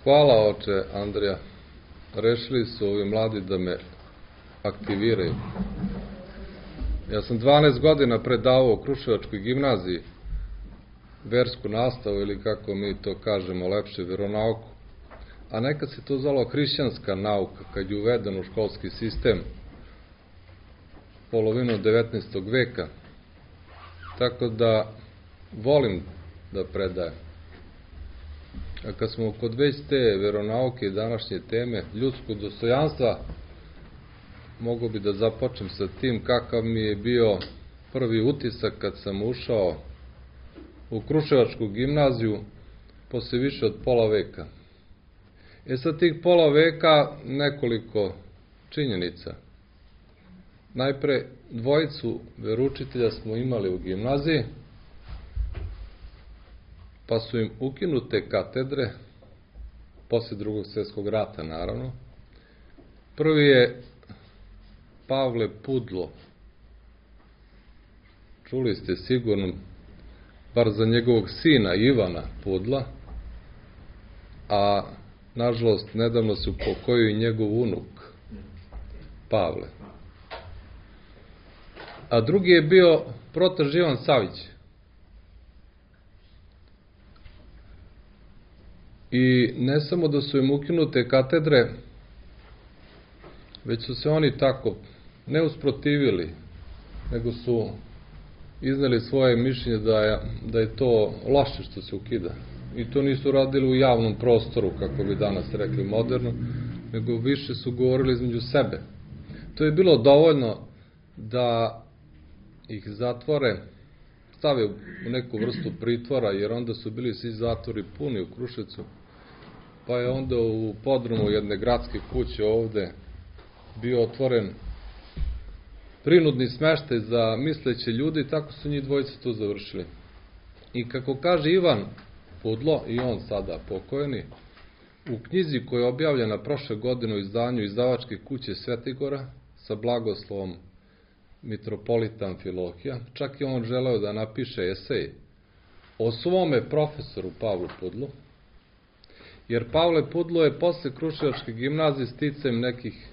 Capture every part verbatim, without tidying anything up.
Hvala, oče Andrija. Rešili su ovi mladi da me aktiviraju. Ja sam dvanaest godina predavao u Kruševačkoj gimnaziji versku nastavu, ili kako mi to kažemo lepše, veronauku. A nekad se to zvalo hrišćanska nauka, kad je uveden u školski sistem polovinu devetnaestog veka. Tako da volim da predajem. A kad smo kod već te veronauke i današnje teme ljudskog dostojanstva, mogu bi da započnem sa tim kakav mi je bio prvi utisak kad sam ušao u Kruševačku gimnaziju posle više od pola veka. E sa tih pola veka nekoliko činjenica. Najpre, dvojicu veroučitelja smo imali u gimnaziji, pa su im ukinute katedre, posle drugog svjetskog rata naravno. Prvi je Pavle Pudlo. Čuli ste sigurno, bar za njegovog sina Ivana Pudla, a nažalost nedavno se upokojio i njegov unuk Pavle. A drugi je bio Protar Ivan Savić. I ne samo da su im ukinute katedre, već su se oni tako ne usprotivili, nego su izneli svoje mišljenje da je, da je to loše što se ukida. I to nisu radili u javnom prostoru, kako bi danas rekli moderno, nego više su govorili između sebe. To je bilo dovoljno da ih zatvore, stave u neku vrstu pritvora, jer onda su bili svi zatvori puni u Kruševcu, pa je onda u podrumu jedne gradske kuće ovde bio otvoren prinudni smeštaj za misleće ljudi, tako su njih dvojice to završili. I kako kaže Ivan Pudlo, i on sada pokojeni, u knjizi koja je objavljena prošle godine u izdanju izdavačke kuće Svetigora sa blagoslovom mitropolita Amfilohija, čak je on želeo da napiše esej o svome profesoru Pavlu Pudlu, jer Pavle Pudlo je posle Kruševačke gimnazije sticajem nekih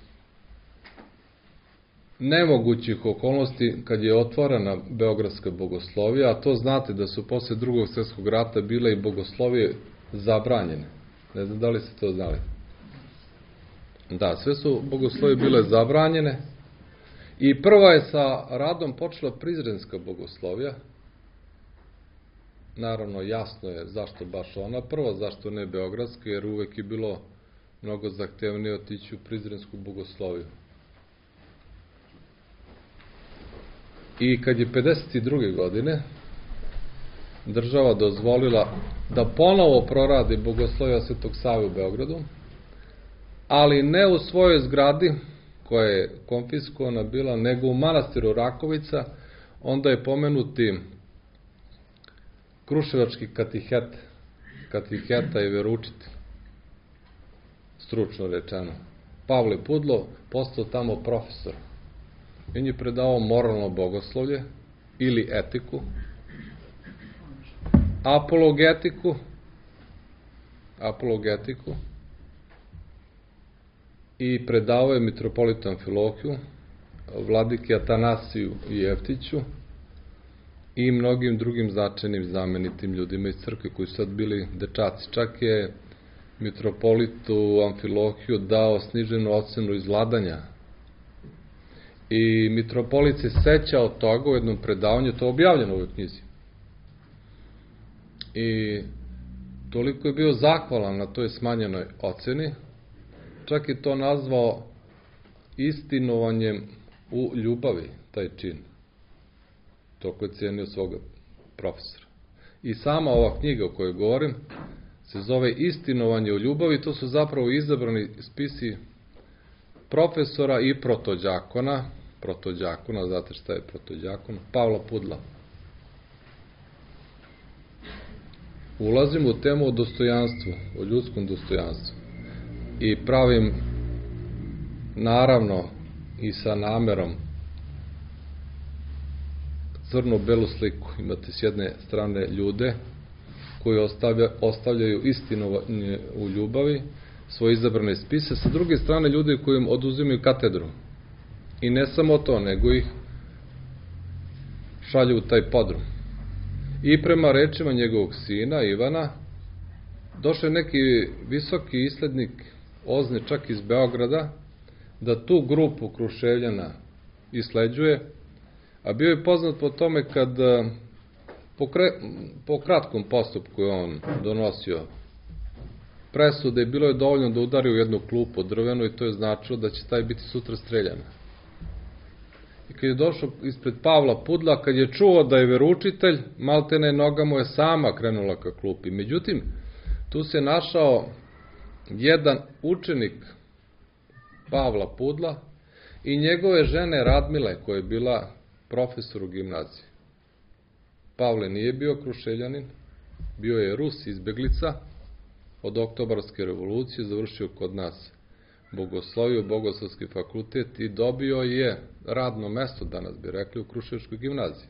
nemogućih okolnosti, kad je otvorena Beogradska bogoslovija, a to znate da su posle drugog svjetskog rata bile i bogoslovije zabranjene. Ne znam da li ste to znali. Da, sve su bogoslovije bile zabranjene i prva je sa radom počela Prizrenska bogoslovija. Naravno, jasno je zašto baš ona prva, zašto ne Beogradska, jer uvek je bilo mnogo zahtevnije otići u Prizrensku bogosloviju. I kad je pedeset druge godine država dozvolila da ponovo proradi bogoslovija Svetog Save u Beogradu, ali ne u svojoj zgradi, koja je konfiskovana bila, nego u manastiru Rakovica, onda je pomenuti kruševački katihet, katiheta i veroučitelj, stručno rečeno, Pavle Pudlo, postao tamo profesor. On je predavao moralno bogoslovlje ili etiku, apologetiku, apologetiku i predavao je mitropolitu Amfilohiju, vladiki Atanasiju i Jeftiću i mnogim drugim značajnim znamenitim ljudima iz crkve koji su sad bili dečaci. Čak je mitropolitu Amfilohiju dao sniženu ocenu iz vladanja. I mitropolit se seća od toga u jednom predavanju, to je objavljeno u ovoj knjizi. I toliko je bio zahvalan na toj smanjenoj oceni, čak je to nazvao istinovanjem u ljubavi, taj čin. Toliko je cijenio svoga profesora. I sama ova knjiga o kojoj govorim se zove Istinovanje u ljubavi, to su zapravo izabrani spisi profesora i protođakona, protođakona, znate šta je protođakon, Pavla Pudla. Ulazim u temu o dostojanstvu, o ljudskom dostojanstvu i pravim, naravno i sa namerom, crno-belu sliku. Imate s jedne strane ljude koji ostavlja, ostavljaju istinu u ljubavi, svoje izabrane spise, sa druge strane ljudi koji im oduzimaju katedru. I ne samo to, nego ih šalju u taj podrum. I prema rečima njegovog sina, Ivana, došao je neki visoki islednik Ozne, čak iz Beograda, da tu grupu Kruševljana isleđuje, a bio je poznat po tome kad po, kre, po kratkom postupku je on donosio presude, bilo je dovoljno da udari u jednu klupu drvenu i to je značilo da će taj biti sutra streljan. I kad je došao ispred Pavla Pudla, kad je čuo da je veroučitelj, maltene noga mu je sama krenula ka klupi. Međutim, tu se našao jedan učenik Pavla Pudla i njegove žene Radmile, koja je bila profesor u gimnaziji. Pavle nije bio Kruševljanin, bio je Rus, izbeglica od Oktobarske revolucije, završio kod nas bogosloviju, Bogoslovski fakultet i dobio je radno mesto, danas bi rekli, u Kruševskoj gimnaziji,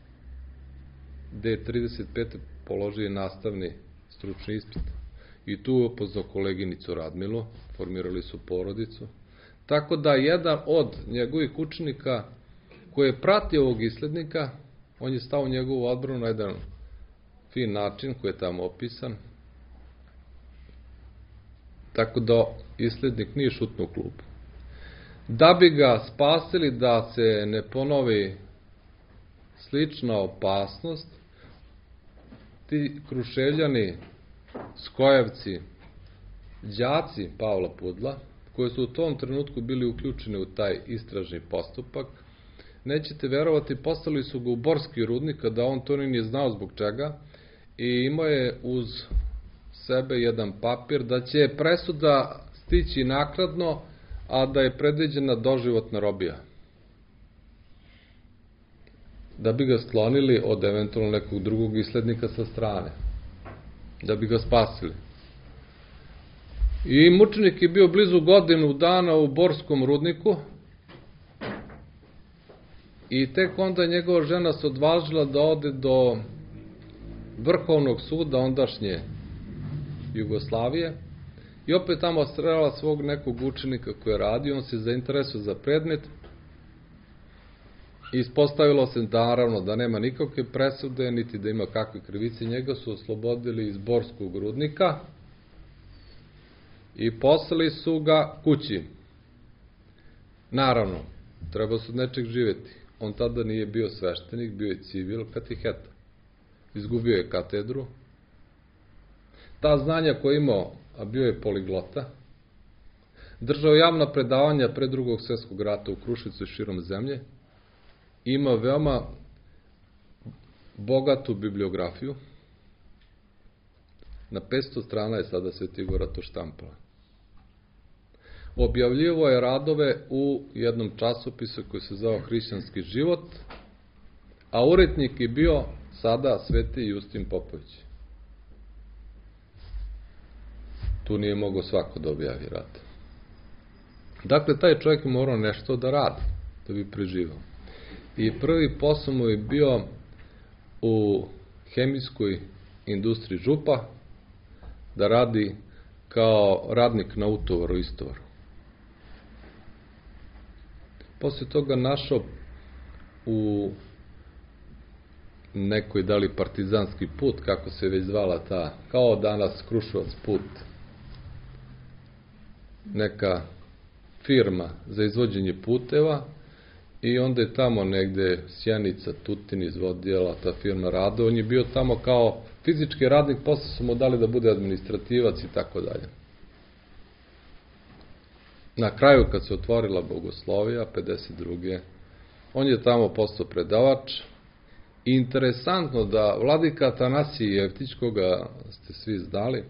gde je trideset pete položio nastavni stručni ispit. I tu je upoznao koleginicu Radmilu, formirali su porodicu. Tako da jedan od njegovih učenika koji je pratio ovog islednika, on je stao u njegovu odbranu na jedan fin način koji je tamo opisan. Tako da islednik nije šutnuo klupu. Da bi ga spasili da se ne ponovi slična opasnost, ti Kruševljani, Skojevci, đaci Pavla Pudla, koji su u tom trenutku bili uključeni u taj istražni postupak, nećete verovati, poslali su ga u Borski rudnik, da on to nije znao zbog čega, i imao je uz sebe jedan papir da će presuda stići naknadno, a da je predviđena doživotna robija. Da bi ga sklonili od eventualno nekog drugog islednika sa strane. Da bi ga spasili. I mučenik je bio blizu godinu dana u Borskom rudniku i tek onda njegova žena se odvažila da ode do Vrhovnog suda ondašnje Jugoslavije i opet tamo srela svog nekog učenika koji je radio, on se zainteresuje za predmet i ispostavilo se naravno da nema nikakve presude, niti da ima kakve krivice, njega su oslobodili iz Borskog rudnika i poslali su ga kući. Naravno, treba su od nečeg živeti. On tada nije bio sveštenik, bio je civil, katiheta. Izgubio je katedru. Ta znanja koje je imao, a bio je poliglota, držao javna predavanja pre drugog svjetskog rata u Kruševcu i širom zemlje, ima veoma bogatu bibliografiju. Na petsto strana je sada Sveti Igora to štampala. Objavljivo je radove u jednom časopisu koji se zvao Hrišćanski život, a urednik je bio sada Sveti Justin Popović. Tu nije mogao svako da objavi rad. Dakle, taj čovjek je morao nešto da radi, da bi preživao. I prvi posao mu je bio u hemijskoj industriji Župa, da radi kao radnik na utovaru, istovaru. Posle toga našao u nekoj da li partizanski put, kako se već zvala ta, kao danas Kruševac put, neka firma za izvođenje puteva i onda je tamo negde Sjenica, Tutin izvodila ta firma rada, on je bio tamo kao fizički radnik, posle su mu dali da bude administrativac i tako dalje. Na kraju, kad se otvorila Bogoslovija, pedeset druge on je tamo postao predavač. I interesantno da vladika Atanasije Jeftić, koga ste svi znali,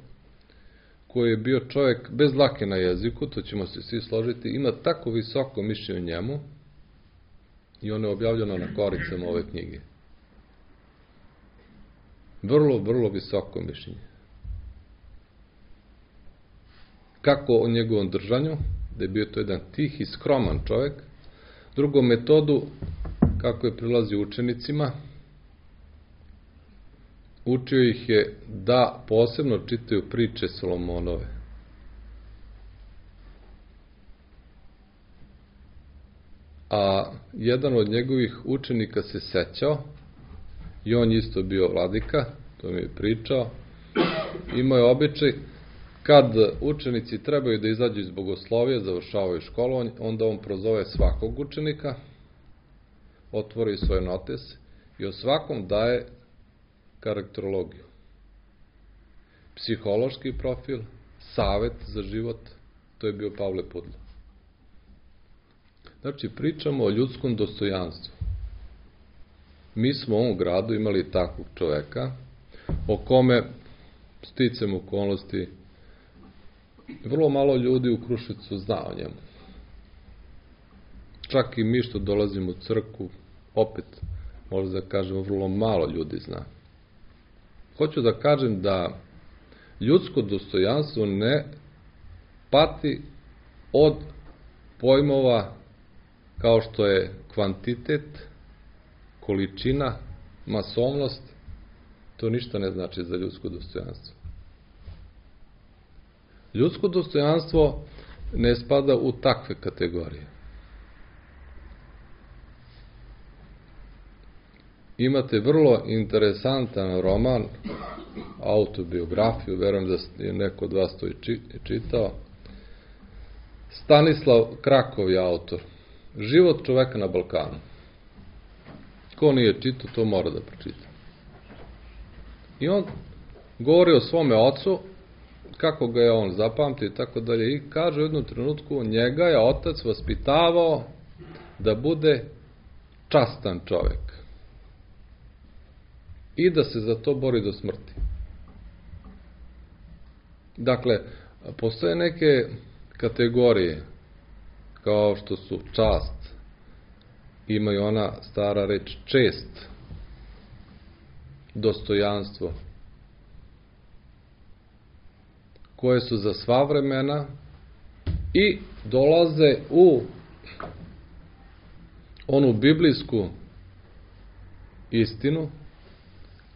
koji je bio čovjek bez dlake na jeziku, to ćemo se svi složiti, ima tako visoko mišljenje o njemu i ono je objavljeno na koricama ove knjige. Vrlo, vrlo visoko mišljenje. Kako o njegovom držanju, da je bio to jedan tih i skroman čovjek. Drugu metodu, kako je prilazio učenicima, učio ih je da posebno čitaju priče Solomonove. A jedan od njegovih učenika se sećao, i on isto bio vladika, to mi je pričao, imao je običaj, kad učenici trebaju da izađu iz bogoslovija, završavaju školu, onda on prozove svakog učenika, otvori svoj notes i o svakom daje karakterologiju. Psihološki profil, savet za život, to je bio Pavle Pudlo. Znači, pričamo o ljudskom dostojanstvu. Mi smo u ovom gradu imali takvog čoveka, o kome, sticam okolnosti, vrlo malo ljudi u Kruševcu zna o njemu. Čak i mi što dolazimo u crkvu, opet, možda da kažemo, vrlo malo ljudi zna. Hoću da kažem da ljudsko dostojanstvo ne pati od pojmova kao što je kvantitet, količina, masovnost. To ništa ne znači za ljudsko dostojanstvo. Ljudsko dostojanstvo ne spada u takve kategorije. Imate vrlo interesantan roman, autobiografiju, verujem da je neko od vas to i čitao. Stanislav Krakov je autor. Život čoveka na Balkanu. Ko nije čitao, to mora da pročita. I on govori o svome ocu, kako ga je on zapamtio i tako dalje, i kaže u jednom trenutku, njega je otac vaspitavao da bude častan čovek i da se za to bori do smrti. Dakle, postoje neke kategorije kao što su čast, ima i ona stara reč čest, dostojanstvo, koje su za sva vremena i dolaze u onu biblijsku istinu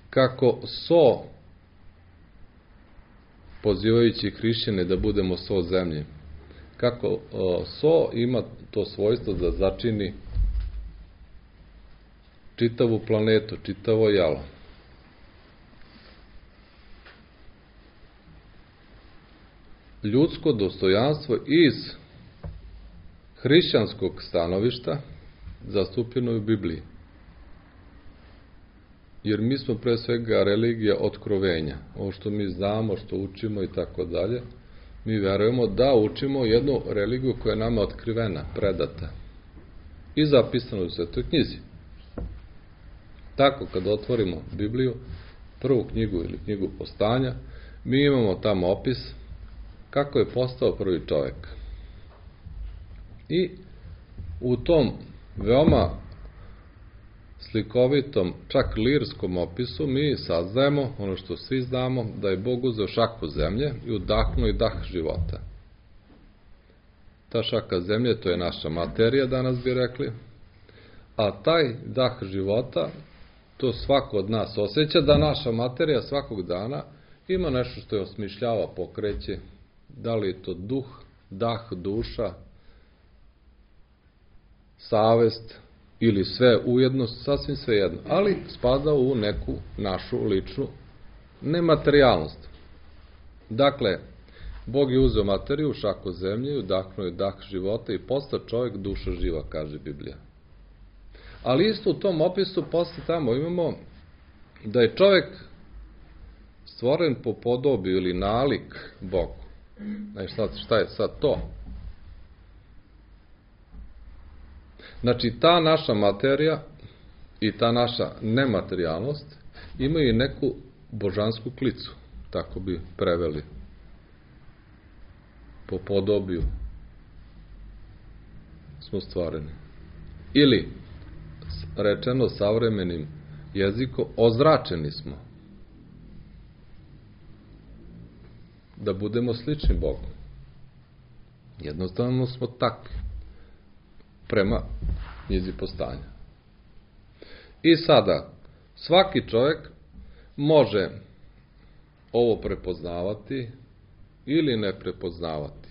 kako so, pozivajući hrišćane da budemo so zemlje, kako so ima to svojstvo da začini čitavu planetu, čitavo jalo. Ljudsko dostojanstvo iz hrišćanskog stanovišta zastupljeno je u Bibliji. Jer mi smo pre svega religija otkrovenja. Ovo što mi znamo, što učimo i tako dalje, mi verujemo da učimo jednu religiju koja je nama otkrivena, predata i zapisana u Svetoj knjizi. Tako, kad otvorimo Bibliju, prvu knjigu ili knjigu Postanja, mi imamo tamo opis kako je postao prvi čovek. I u tom veoma slikovitom, čak lirskom opisu, mi saznajemo ono što svi znamo, da je Bog uzeo šaku zemlje i udahnuo i dah života. Ta šaka zemlje, to je naša materija, danas bi rekli, a taj dah života, to svako od nas osjeća, da naša materija svakog dana ima nešto što je osmišljava, pokreće, da li je to duh, dah, duša, savest ili sve ujedno, sasvim sve jedno, ali spada u neku našu ličnu nematerijalnost. Dakle, Bog je uzeo materiju, šaku zemlje, udahnuo je dah života i postao čovjek duša živa, kaže Biblija. Ali isto u tom opisu posle tamo imamo da je čovjek stvoren po podobi ili nalik Bogu. Znači, šta je sad to? Znači, ta naša materija i ta naša nematerijalnost imaju i neku božansku klicu, tako bi preveli, po podobiju smo stvoreni. Ili, rečeno savremenim jezikom, ozračeni smo da budemo slični Bogu. Jednostavno smo takvi prema knjizi Postanja. I sada, svaki čovjek može ovo prepoznavati ili ne prepoznavati,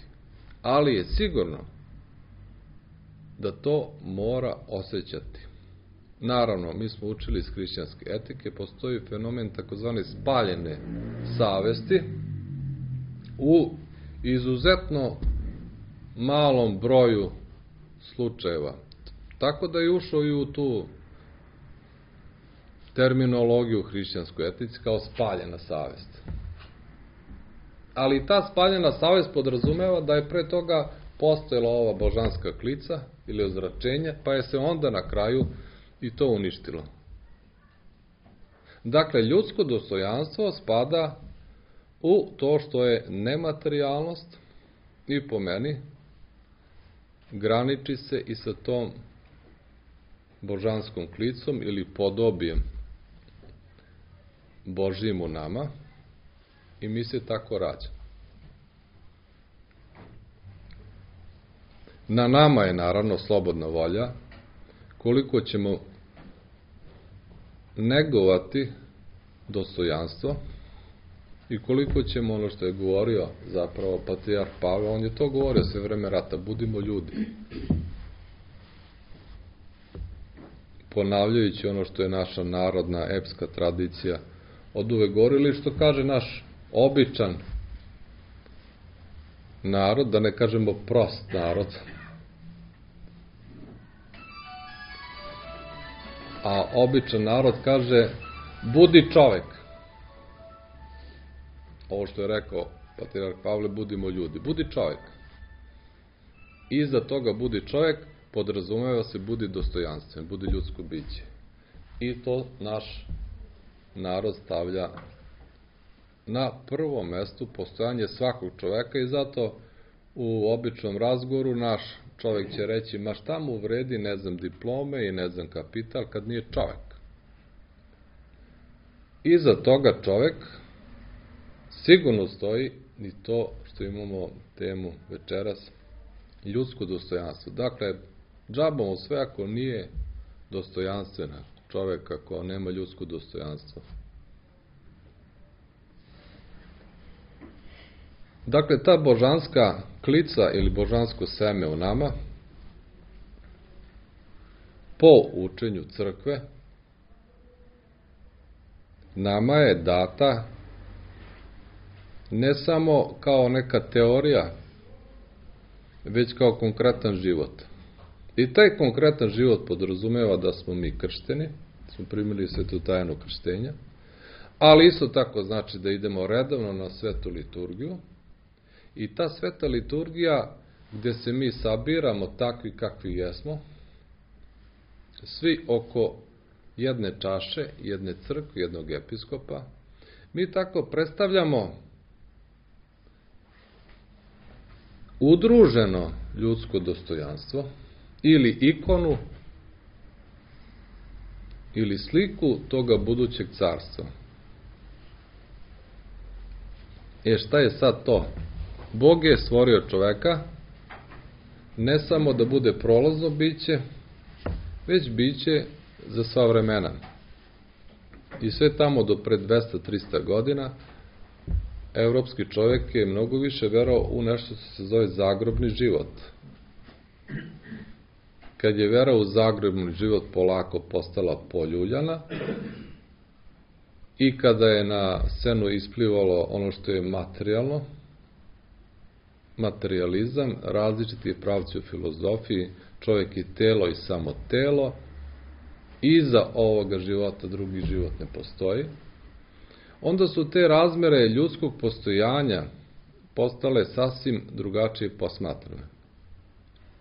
ali je sigurno da to mora osjećati. Naravno, mi smo učili iz hrišćanske etike, postoji fenomen takozvane spaljene savesti u izuzetno malom broju slučajeva. Tako da je ušao i u tu terminologiju hrišćanskoj etici kao spaljena savest. Ali ta spaljena savest podrazumeva da je pre toga postojala ova božanska klica ili ozračenje, pa je se onda na kraju i to uništilo. Dakle, ljudsko dostojanstvo spada u to što je nematerijalnost i po meni graniči se i sa tom božanskom klicom ili podobijem Božjim u nama i mi se tako rađamo. Na nama je naravno slobodna volja koliko ćemo negovati dostojanstvo i koliko ćemo, ono što je govorio zapravo patrijarh Pavle, on je to govorio sve vreme rata, budimo ljudi. Ponavljajući ono što je naša narodna epska tradicija od uvek govorili, što kaže naš običan narod, da ne kažemo prost narod, a običan narod kaže budi čovek. Ovo što je rekao patrijarh Pavle, budimo ljudi. Budi čovek. Iza toga budi čovek podrazumeva se budi dostojanstven, budi ljudsko biće. I to naš narod stavlja na prvo mesto postojanje svakog čoveka i zato u običnom razgovoru naš čovek će reći, ma šta mu vredi, ne znam, diplome i ne znam kapital kad nije čovek. Iza toga čovek sigurno stoji i to što imamo temu večeras, ljudsko dostojanstvo. Dakle, džaba mu sve ako nije dostojanstvena čovek, ako nema ljudsko dostojanstvo. Dakle, ta božanska klica ili božansko seme u nama, po učenju crkve, nama je data ne samo kao neka teorija, već kao konkretan život. I taj konkretan život podrazumeva da smo mi kršteni, smo primili svetu tajnu krštenja, ali isto tako znači da idemo redovno na svetu liturgiju i ta sveta liturgija gdje se mi sabiramo takvi kakvi jesmo, svi oko jedne čaše, jedne crkve, jednog episkopa, mi tako predstavljamo udruženo ljudsko dostojanstvo ili ikonu ili sliku toga budućeg carstva. E šta je sad to? Bog je stvorio čoveka ne samo da bude prolazno biće, već biće za sva vremena. I sve tamo do pred dvesta do trista godina evropski čovjek je mnogo više verovao u nešto što se zove zagrobni život. Kad je vera u zagrobni život polako postala poljuljana i kada je na scenu isplivalo ono što je materijalno, materializam, različiti pravci u filozofiji, čovjek je telo i samo telo, iza ovoga života drugi život ne postoji, onda su te razmere ljudskog postojanja postale sasvim drugačije posmatrane.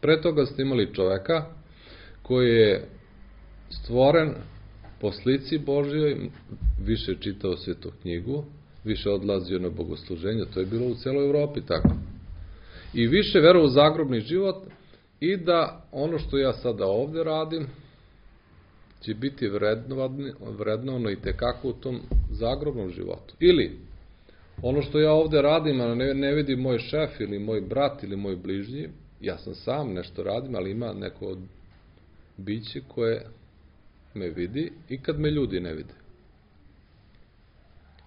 Pre toga ste imali čoveka koji je stvoren po slici Božjoj, više čitao svetu knjigu, više odlazio na bogosluženje, to je bilo u celoj Evropi tako. I više verovao u zagrobni život i da ono što ja sada ovde radim će biti vrednovano i tekako u tom zagrobnom životu. Ili ono što ja ovde radim, a ne, ne vidi moj šef ili moj brat ili moj bližnji, ja sam sam nešto radim, ali ima neko biće koje me vidi i kad me ljudi ne vide.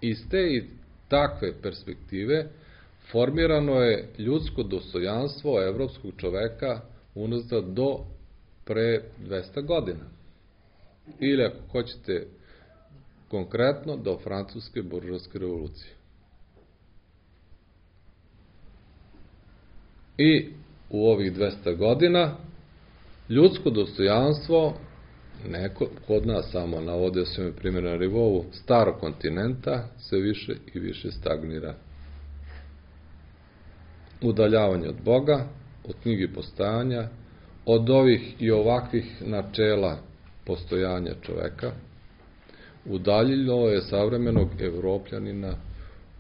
Iz te i takve perspektive formirano je ljudsko dostojanstvo evropskog čoveka unazad do pre dvesta godina. Ili ako hoćete konkretno do francuske buržoaske revolucije. I u ovih dvesta godina ljudsko dostojanstvo, neko kod nas samo navodio se mi primjer na nivou starog kontinenta, se više i više stagnira. Udaljavanje od Boga, od knjige postojanja, od ovih i ovakvih načela postojanja čoveka, udaljilo je savremenog Evropljanina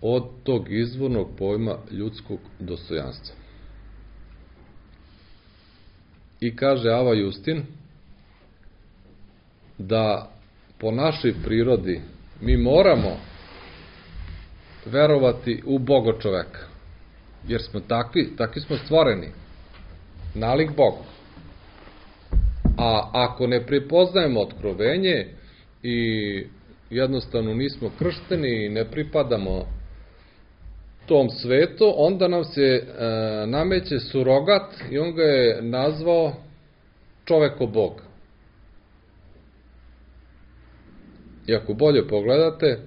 od tog izvornog pojma ljudskog dostojanstva. I kaže Ava Justin da po našoj prirodi mi moramo verovati u Boga čoveka, jer smo takvi, takvi smo stvoreni, nalik Bogu. A ako ne prepoznajemo otkrovenje i jednostavno nismo kršteni i ne pripadamo tom svetu, onda nam se e, nameće surogat i on ga je nazvao čoveko Bog. I ako bolje pogledate,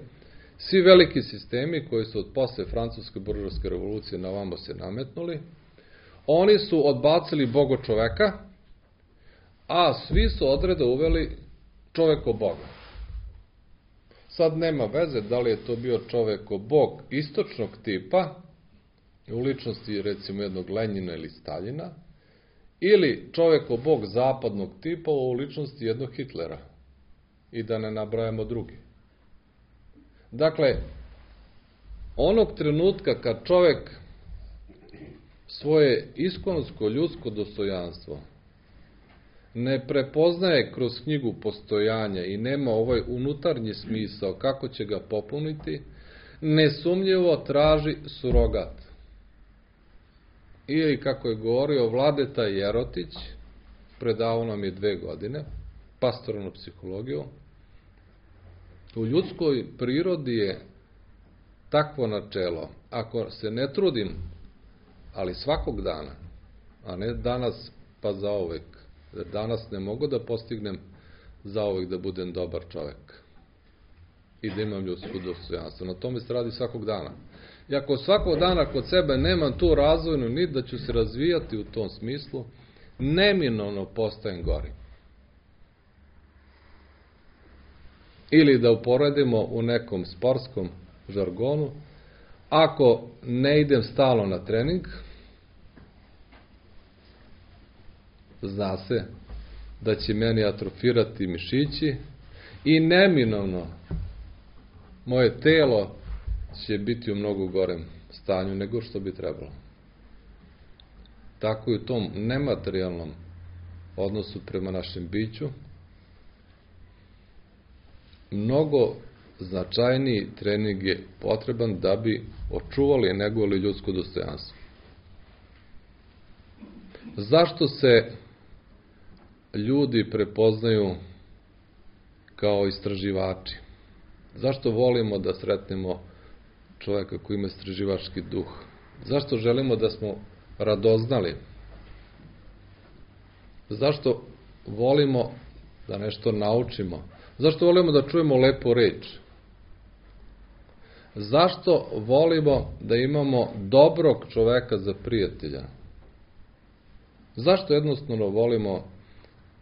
svi veliki sistemi koji su od posle francuske buržoaske revolucije na ovamo se nametnuli, oni su odbacili Boga čoveka, a svi su odreda uveli čoveko Boga. Sad nema veze da li je to bio čoveko Bog istočnog tipa, u ličnosti recimo jednog Lenjina ili Staljina, ili čoveko Bog zapadnog tipa u ličnosti jednog Hitlera. I da ne nabrajamo drugi. Dakle, onog trenutka kad čovek svoje iskonsko ljudsko dostojanstvo ne prepoznaje kroz knjigu postojanja i nema ovaj unutarnji smisao kako će ga popuniti, nesumnjivo traži surogat. Ili, kako je govorio Vladeta Jerotić, predavao nam je dve godine, pastoralnu psihologiju, u ljudskoj prirodi je takvo načelo, ako se ne trudim, ali svakog dana, a ne danas pa zauvek, jer danas ne mogu da postignem zauvek da budem dobar čovek i da imam ljudsko dostojanstvo. Na tome se radi svakog dana. I ako svakog dana kod sebe nemam tu razvojnu nit da ću se razvijati u tom smislu, neminovno postajem gori. Ili da uporedimo u nekom sportskom žargonu, ako ne idem stalno na trening, zna se da će meni atrofirati mišići i neminovno moje telo će biti u mnogo gorem stanju nego što bi trebalo. Tako i u tom nematerijalnom odnosu prema našem biću, mnogo značajniji trening je potreban da bi očuvali i negovali ljudsko dostojanstvo. Zašto se ljudi prepoznaju kao istraživači? Zašto volimo da sretnemo čoveka koji ima istraživački duh? Zašto želimo da smo radoznali? Zašto volimo da nešto naučimo? Zašto volimo da čujemo lepu reč? Zašto volimo da imamo dobrog čoveka za prijatelja? Zašto jednostavno volimo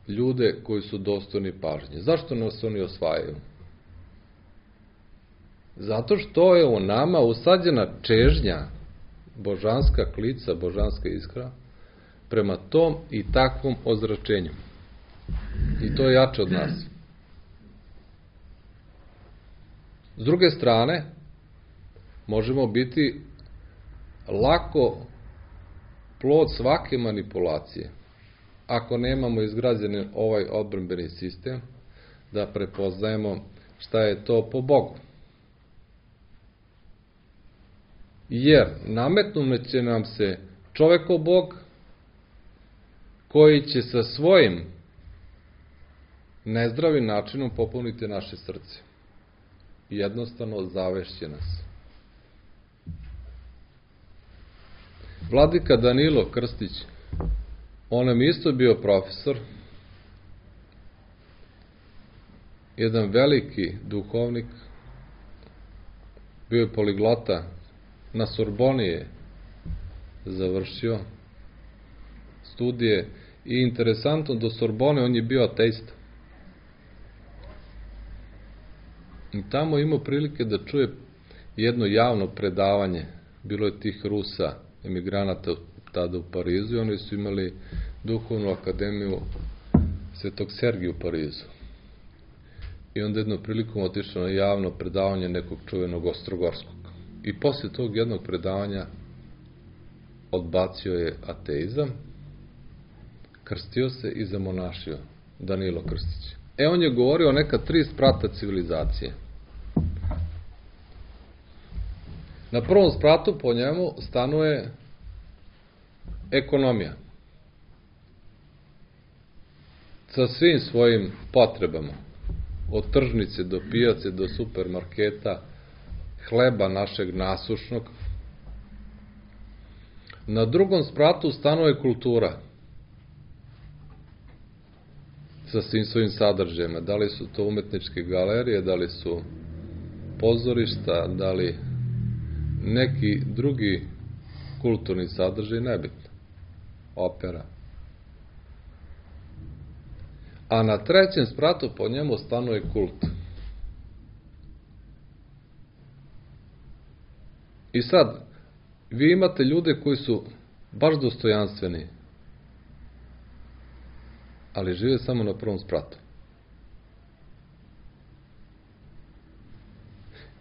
ljude koji su dostojni pažnje? Zašto nas oni osvajaju? Zato što je u nama usađena čežnja, božanska klica, božanska iskra, prema tom i takvom ozračenju. I to je jače od nas. S druge strane, možemo biti lako plod svake manipulacije, ako nemamo izgrađen ovaj odbrambeni sistem, da prepoznajemo šta je to po Bogu. Jer nametnut će nam se čoveko Bog, koji će sa svojim nezdravim načinom popuniti naše srce. jednostavno zavešće nas. Vladika Danilo Krstić, on nam isto bio profesor, jedan veliki duhovnik, bio je poliglota, na Sorboni je završio studije i interesantno, do Sorbone on je bio ateista. I tamo imao prilike da čuje jedno javno predavanje, bilo je tih Rusa, emigranata tada u Parizu, i oni su imali duhovnu akademiju Svetog Sergija u Parizu. I onda jednom prilikom otišao na javno predavanje nekog čuvenog Ostrogorskog. I poslije tog jednog predavanja odbacio je ateizam, krstio se i zamonašio, Danilo Krstić. E, on je govorio o neka tri sprata civilizacije. Na prvom spratu po njemu stanuje ekonomija. Sa svim svojim potrebama. Od tržnice do pijace, do supermarketa, hleba našeg nasušnog. Na drugom spratu stanuje kultura. Sa svim svojim sadržajima. Da li su to umetničke galerije, da li su pozorišta, da li neki drugi kulturni sadržaj, nebitno. Opera. A na trećem spratu po njemu stanuje kult. I sad, vi imate ljude koji su baš dostojanstveni, ali žive samo na prvom spratu.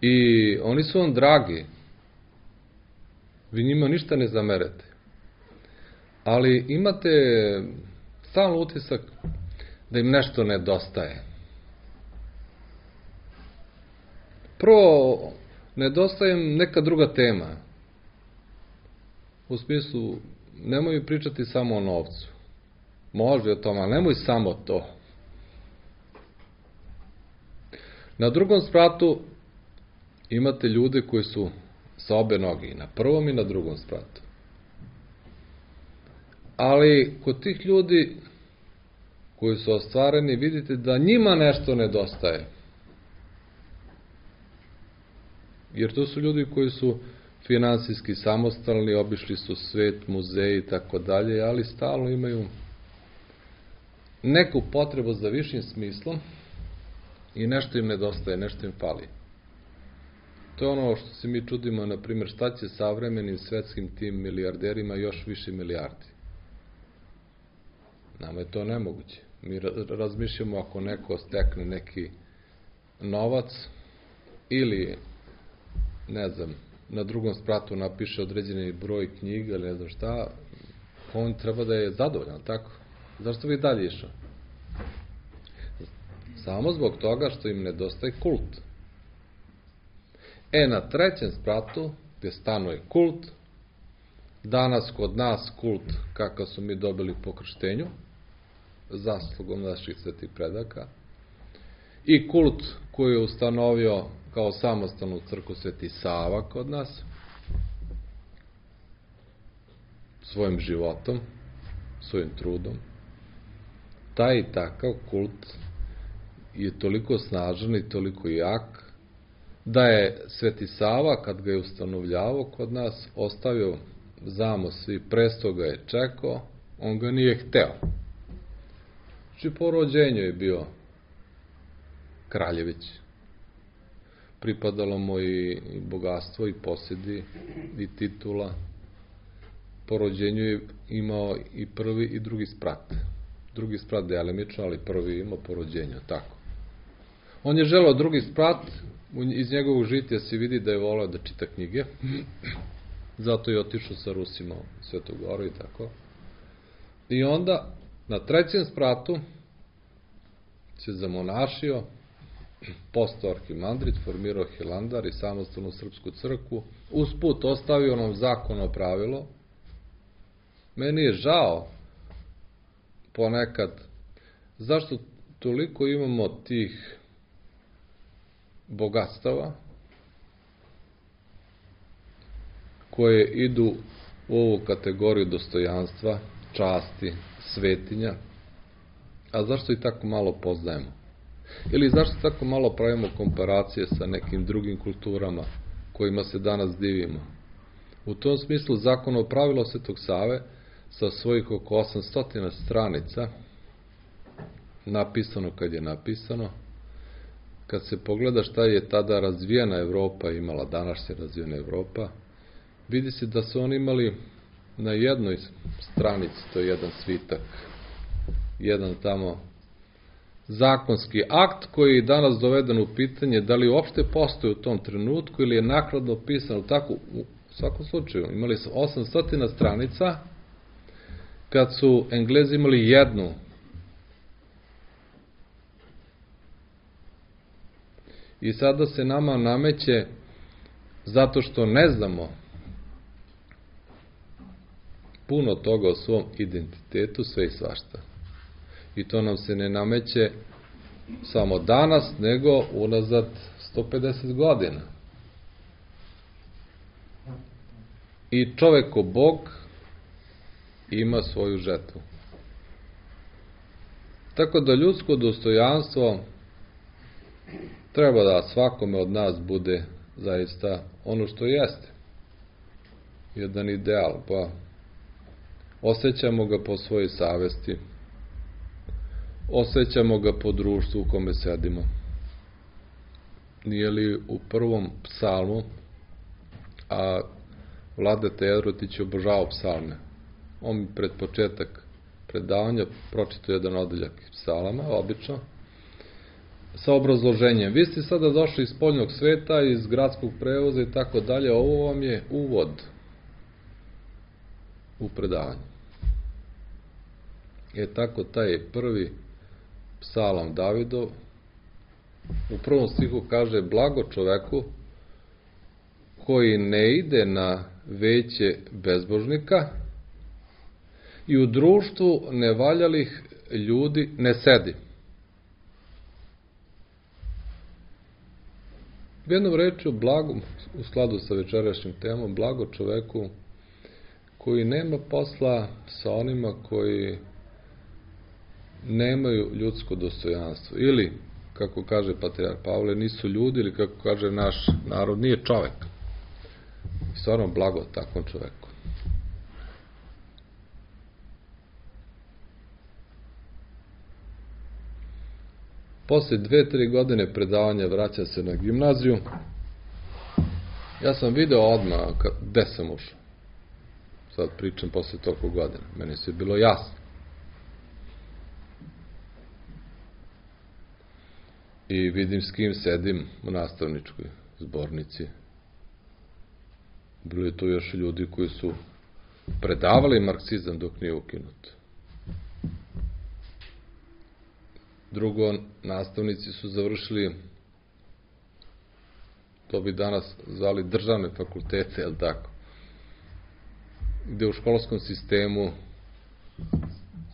I oni su vam dragi. Vi njima ništa ne zamerete. Ali imate stalno utisak da im nešto nedostaje. Prvo, nedostaje im neka druga tema. U smislu, nemoj pričati samo o novcu. Može o tome, ali nemoj samo to. Na drugom spratu imate ljude koji su sa obe noge, i na prvom i na drugom spratu. Ali kod tih ljudi koji su ostvareni, vidite da njima nešto nedostaje. Jer to su ljudi koji su finansijski samostalni, obišli su svet, muzeji i tako dalje, ali stalno imaju neku potrebu za višim smislom i nešto im nedostaje, nešto im fali. To je ono što se mi čudimo, na primjer, šta će savremenim svetskim tim milijarderima još više milijardi. Nama je to nemoguće. Mi razmišljamo ako neko stekne neki novac ili, ne znam, na drugom spratu napiše određeni broj knjiga ili ne znam šta, on treba da je zadovoljan, tako? Zašto bi dalje išao? Samo zbog toga što im nedostaje kult. E, na trećem spratu, gdje stanuje kult, danas kod nas kult kakav su mi dobili po krštenju, zaslugom naših svetih predaka, i kult koji je ustanovio kao samostalnu crkvu Sveti Sava kod nas, svojim životom, svojim trudom. Taj i takav kult je toliko snažan i toliko jak, da je Sveti Sava, kad ga je ustanovljavao kod nas, ostavio zamos i presto ga je čekao, on ga nije hteo. Znači, po rođenju je bio kraljević. Pripadalo mu i bogatstvo, i posjedi, i titula. Po rođenju je imao i prvi i drugi sprat. Drugi sprat delimično, ali prvi imao po rođenju, tako. On je želeo drugi sprat, iz njegovog žitija se vidi da je voleo da čita knjige, zato je otišao sa Rusima u Svetu Goru i tako. I onda, na trećem spratu, se zamonašio, postao arhimandrit, formirao Hilandar i samostalnu srpsku crkvu, usput ostavio nam zakonno pravilo. Meni je žao ponekad zašto toliko imamo tih bogatstava koje idu u ovu kategoriju dostojanstva, časti, svetinja, a zašto i tako malo poznajemo? Ili zašto tako malo pravimo komparacije sa nekim drugim kulturama kojima se danas divimo? U tom smislu Zakonovo pravilo Svetog Save sa svojih oko osamsto stranica, napisano kad je napisano, kad se pogleda šta je tada razvijena Evropa imala, današnja razvijena Evropa, vidi se da su oni imali na jednoj stranici, to je jedan svitak, jedan tamo zakonski akt koji je danas doveden u pitanje da li uopšte postoji u tom trenutku ili je nakladno pisano tako. U svakom slučaju imali su osamsto stranica, kad su Englezi imali jednu. I sada se nama nameće, zato što ne znamo puno toga o svom identitetu, sve i svašta. I to nam se ne nameće samo danas, nego unazad sto pedeset godina. I čovek ko Bog ima svoju žetvu. Tako da ljudsko dostojanstvo treba da svakome od nas bude zaista ono što jeste. Jedan ideal, pa osjećamo ga po svojoj savesti, osjećamo ga po društvu u kome sedimo. Nije li u prvom psalmu, a Vladeta Jerotić je obožavao psalme. On mi pred početak predavanja pročitao jedan odeljak psalama, obično, sa obrazloženjem. Vi ste sada došli iz spoljnog sveta, iz gradskog prevoza i tako dalje, ovo vam je uvod u predavanje. Je tako taj prvi psalam Davidov, u prvom stihu kaže: blago čoveku koji ne ide na veće bezbožnika i u društvu nevaljalih ljudi ne sedi. Jednom rečju, blago, u skladu sa večerašnjim temom, blago čoveku koji nema posla sa onima koji nemaju ljudsko dostojanstvo. Ili, kako kaže patrijarh Pavle, nisu ljudi, ili kako kaže naš narod, nije čovek. I stvarno blago takvom čoveku. Posle dve, tri godine predavanja vraća se na gimnaziju. Ja sam video odmah gde sam ušao. Sad pričam posle toliko godina. Meni se je bilo jasno. I vidim s kim sedim u nastavničkoj zbornici. Bilo je tu još ljudi koji su predavali marksizam dok nije ukinut. Drugo, nastavnici su završili, to bi danas zvali državne fakultete, jel tako? Gde u školskom sistemu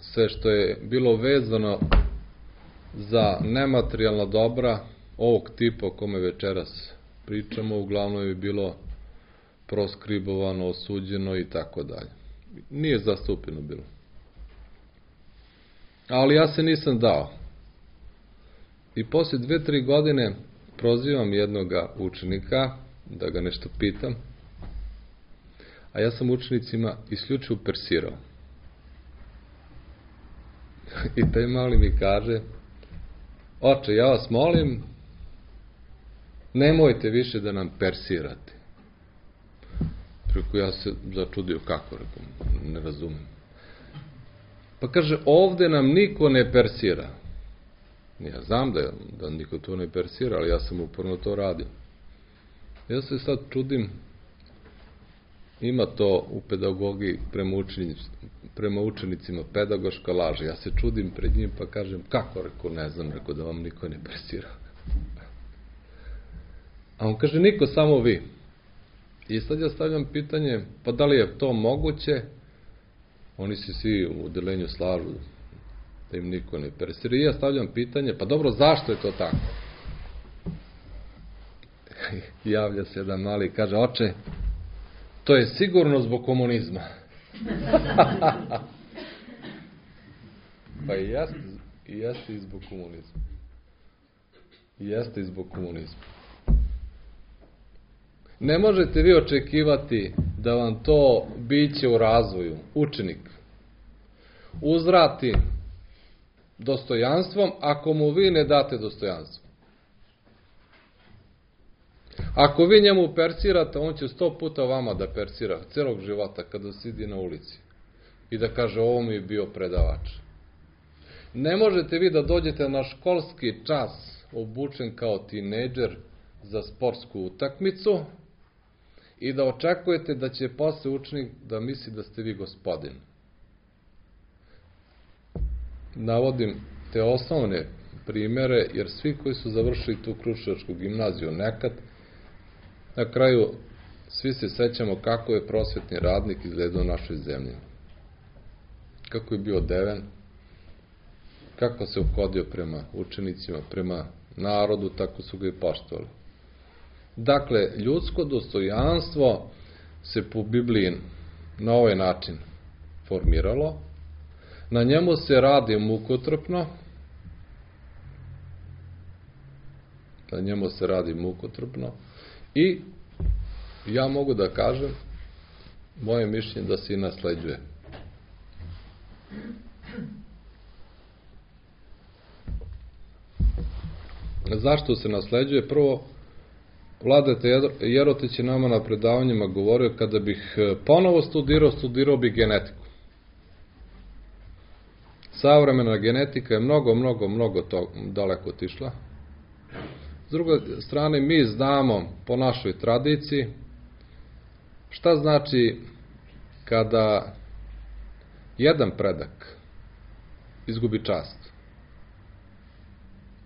sve što je bilo vezano za nematerijalna dobra ovog tipa o kome večeras pričamo, uglavnom je bilo proskribovano, osuđeno i tako dalje. Nije zastupljeno bilo. Ali ja se nisam dao. I posle dve, tri godine prozivam jednoga učenika da ga nešto pitam, a ja sam učenicima isključivo persirao. I taj mali mi kaže: oče, ja vas molim, nemojte više da nam persirate. Preko ja se začudio, kako, rekao, ne razumem. Pa kaže, ovde nam niko ne persira. Ja znam da, da niko to ne persira, ali ja sam uporno to radio. Ja se sad čudim, ima to u pedagogiji prema, učenic, prema učenicima pedagoška laž. Ja se čudim pred njim pa kažem, kako, rekao, ne znam, rekao, da vam niko ne persira. A on kaže, niko, samo vi. I sad ja stavljam pitanje, pa da li je to moguće? Oni se svi u odelenju slažu da im niko ne persira. I ja stavljam pitanje, pa dobro, zašto je to tako? Javlja se jedan mali i kaže, oče, to je sigurno zbog komunizma. Pa i jeste, i jeste i zbog komunizma. I jeste i zbog komunizma. Ne možete vi očekivati da vam to biće u razvoju, učenik, uzvrati dostojanstvom ako mu vi ne date dostojanstvo. Ako vi njemu persirate, on će sto puta vama da persira celog života kada sidi na ulici i da kaže, ovo mi je bio predavač. Ne možete vi da dođete na školski čas obučen kao tinejdžer za sportsku utakmicu i da očekujete da će posle učenik da misli da ste vi gospodin. Navodim te osnovne primere, jer svi koji su završili tu Kruševačku gimnaziju nekad, na kraju svi se sećamo kako je prosvetni radnik izgledao u našoj zemlji. Kako je bio odeven, kako se ophodio prema učenicima, prema narodu, tako su ga i poštovali. Dakle, ljudsko dostojanstvo se po Bibliji na ovaj način formiralo, na njemu se radi mukotrpno, na njemu se radi mukotrpno i ja mogu da kažem, moje mišljenje da se i nasleđuje. Zašto se nasleđuje? Prvo, Vladeta Jerotić je nama na predavanjima govorio, kada bih ponovo studirao, studirao bih genetiku. Savremena genetika je mnogo, mnogo, mnogo to daleko otišla. S druge strane, mi znamo po našoj tradiciji šta znači kada jedan predak izgubi čast.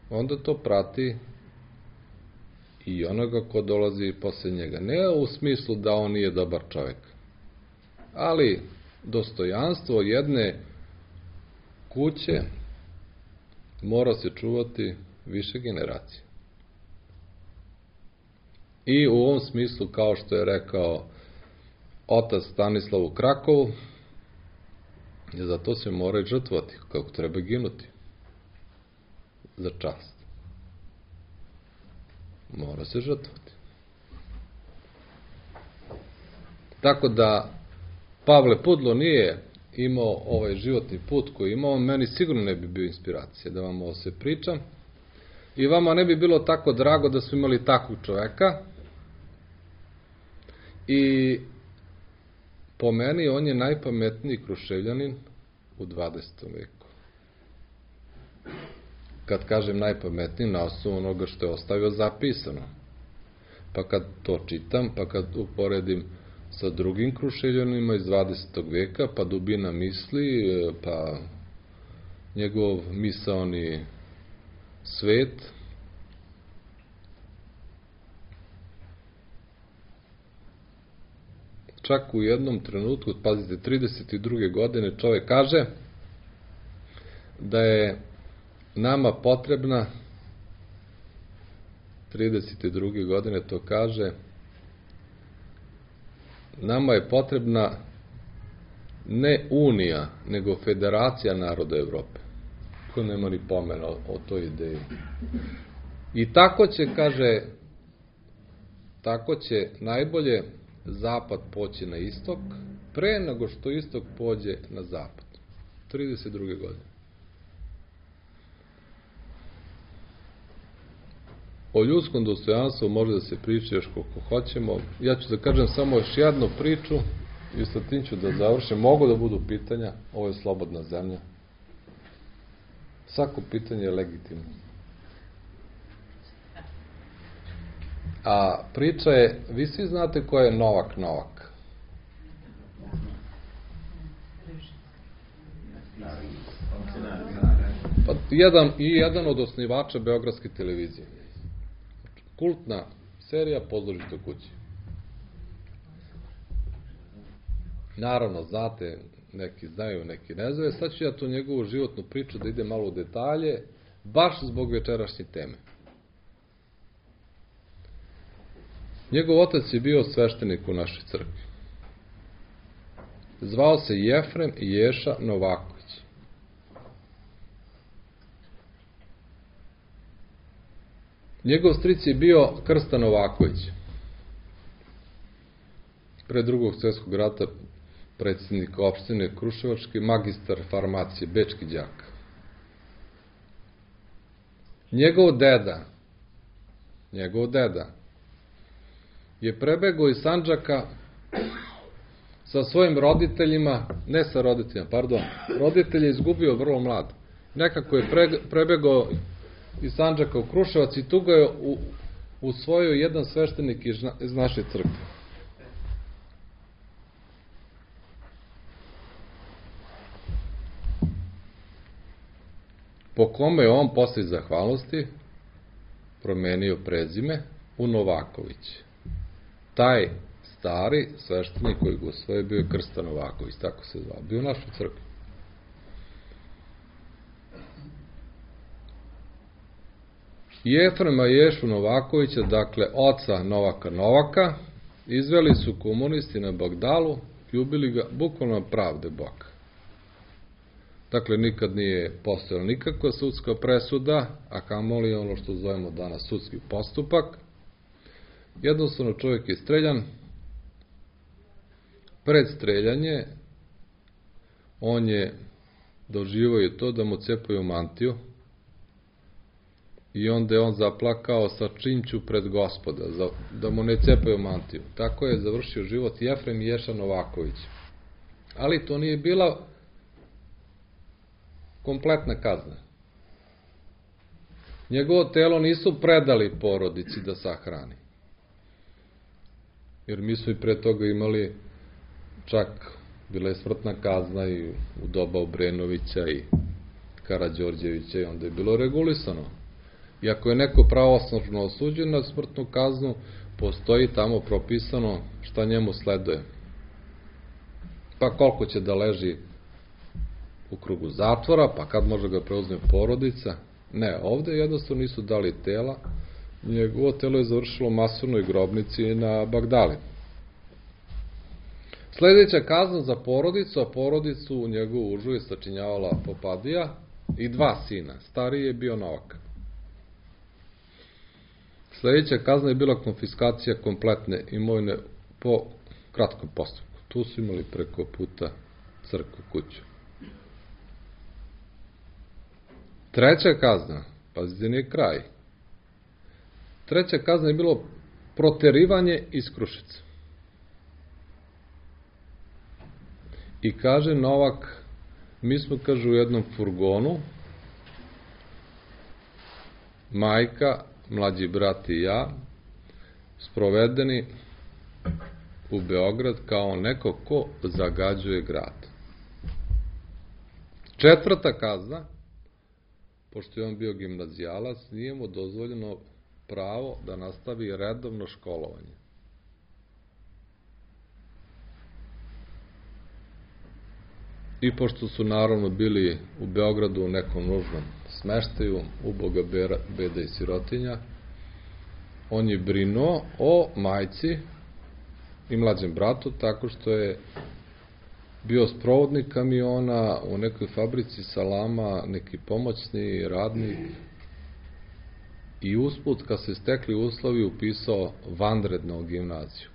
Onda to prati i onoga ko dolazi posle njega. Ne u smislu da on nije dobar čovjek, ali dostojanstvo jedne kuće mora se čuvati više generacije. I u ovom smislu, kao što je rekao otac Stanislav u Krakovu, za to se mora i žrtvovati, kako treba ginuti. Za čast. Mora se žrtvovati. Tako da Pavle Pudlo nije imao ovaj životni put koji imao, meni sigurno ne bi bio inspiracija da vam ovo se pričam. I vama ne bi bilo tako drago da smo imali takvog čoveka. I po meni on je najpametniji Kruševljanin u dvadesetom veku. Kad kažem najpametniji, na osnovu onoga što je ostavio zapisano. Pa kad to čitam, pa kad uporedim sa drugim Kruševljanima iz dvadesetog veka, pa dubina misli, pa njegov misaoni svet, čak u jednom trenutku, pazite, trideset druge godine čovjek kaže da je nama potrebna, trideset druge godine to kaže, nama je potrebna ne unija, nego federacija naroda Evrope. Ko nema ni pomena o, o toj ideji. I tako će, kaže, tako će najbolje zapad poći na istok, pre nego što istok pođe na zapad. trideset druge godine. O ljudskom dostojanstvu može da se priča još koliko hoćemo. Ja ću da kažem samo još jednu priču i sa tim ću da završim. Mogu da budu pitanja, ovo je slobodna zemlja. Svako pitanje je legitimno. A priča je, vi svi znate ko je Novak Novak? Pa jedan, i jedan od osnivača Beogradske televizije. Kultna serija Pozorište u kući. Naravno, znate, neki znaju, neki ne znaju. Sad ću ja tu njegovu životnu priču da ide malo u detalje, baš zbog večerašnje teme. Njegov otac je bio sveštenik u našoj crkvi. Zvao se Jefrem Ješa Novaković. Njegov stric je bio Krsta Novaković. Pre drugog svjetskog rata predsjednik opštine Kruševački, magistar farmacije, bečki đak. Njegov deda, njegov deda, je prebegao iz Sandžaka sa svojim roditeljima, ne sa roditeljima, pardon, roditelj je izgubio vrlo mlad. Nekako je prebegao iz Sandžaka u Kruševac i tu ga je usvojio jedan sveštenik iz naše crkve. Po kome je on posle zahvalnosti promenio prezime u Novaković. Taj stari sveštenik koji ga usvojio bio je Krsta Novaković, tako se zvao, bio u našoj crkvi. Jefrema Ješu Novakovića, dakle oca Novaka Novaka, izveli su komunisti na Bagdalu i ubili ga bukvalno pravde Boga. Dakle, nikad nije postojala nikakva sudska presuda, a kamoli ono što zovemo danas sudski postupak. Jednostavno čovjek je streljan. Pred streljanje on je doživio je to da mu cepaju mantiju i onda je on zaplakao sa činću pred Gospoda, da mu ne cepaju mantiju. Tako je završio život Jefrem Ješa Novaković. Ali to nije bila kompletna kazna. Njegovo telo nisu predali porodici da sahrani. Jer mi smo i pre toga imali, čak bila je smrtna kazna i u doba Obrenovića i Karađorđevića i onda je bilo regulisano. I ako je neko pravosnažno osuđen na smrtnu kaznu, postoji tamo propisano šta njemu sleduje. Pa koliko će da leži u krugu zatvora, pa kad može ga preuzme porodica. Ne, ovde jednostavno nisu dali tela. Njegovo telo je završilo u masovnoj grobnici na Bagdali. Sljedeća kazna za porodicu, a porodicu u njegovu užu je sačinjavala Popadija i dva sina. Stariji je bio Novak. Sljedeća kazna je bila konfiskacija kompletne imovine po kratkom postupku. Tu su imali preko puta crkvu, kuću. Treća kazna, pazite, nije kraj. Treća kazna je bilo proterivanje iz Kruševca. I kaže Novak, mi smo, kaže, u jednom furgonu, majka, mlađi brat i ja, sprovedeni u Beograd kao neko ko zagađuje grad. Četvrta kazna, pošto je on bio gimnazijalac, nije mu dozvoljeno pravo da nastavi redovno školovanje. I pošto su naravno bili u Beogradu u nekom nužnom smeštaju, uboga beda i sirotinja, on je brinuo o majci i mlađem bratu tako što je bio sprovodnik kamiona u nekoj fabrici salama, neki pomoćni radnik i usput, kad se stekli uslovi, upisao vanredno u gimnaziju.